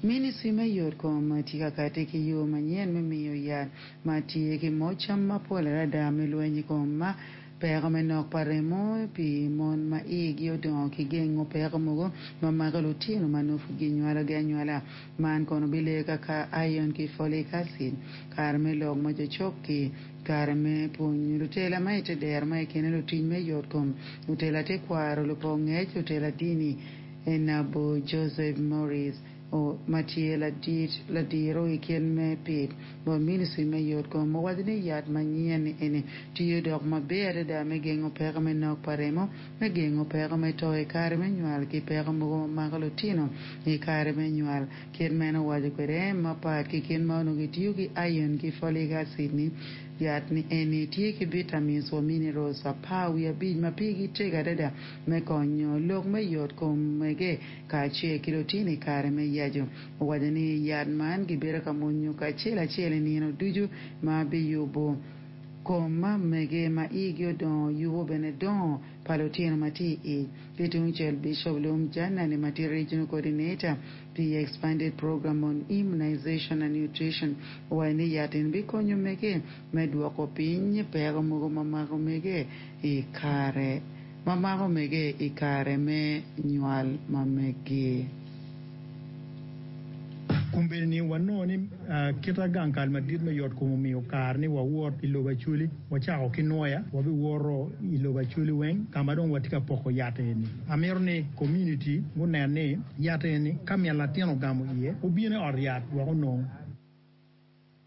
Ministri me yot kom tye ka kati ki yo manyen me miyo yat ma tye ki moc cam mapol adada me lweny i kom peko me nok pa remo pi mon ma igi odongo ki gengo peko mogo ma mako lutino ma nongo pud ginywalogi anywala. Man kono bileyo kaka iron ki folic acid. Kare me lok ma jo cok-ki, kare me pwonyo lutela ma i te dero ma i kine lutic me yot kom, lutela tekwaro, lupok ngec, lutela dini, Enabo Joseph Morris, ma tye ladit ladiro i kit me pit bot Ministry me Yot Kom owaco ni yat manyen eni tiyo dok maber adada me gengo peko me nok pa remo, me gengo peko me to i kare me nywal ki peko mogo ma mako lutino i kare me nywal. Kit meno owaco kwede mapat ki kit ma onongo kitiyo ki iron ki folic acid ni yat ni eni tye ki vitamins wa minerals 15 ma pigi tego adada me konyo lok me yot kom mege kacel ki lutino i kare me yaco. Owaco ni yat man gibedo ka mwonyo kacel acel i nino ducu ma biyubo kom mege ma igi odongo yubo bene dongo pa lutino ma tye i ic. Ki tungcel Bishop Luwum Janani ma tye Regional Coordinator pi Expanded Program on Immunization and Nutrition owaco ni yat eni bikonyo mege me dwoko piny peko mogo ma mako mege i kare ma mako mege i kare me nywal ma megi. Kombeddi ni wanongo ni kita gang kal madit me yot kom omiyo kare ni wawot i lobo Acholi. Wacako ki nwoya, wabiwoto i lobo Acholi weng ka ma dong watye ka poko yat eni. Amito ni community gunen ni yat eni ka min latin ogamo iye, obino i ot yat wek onong.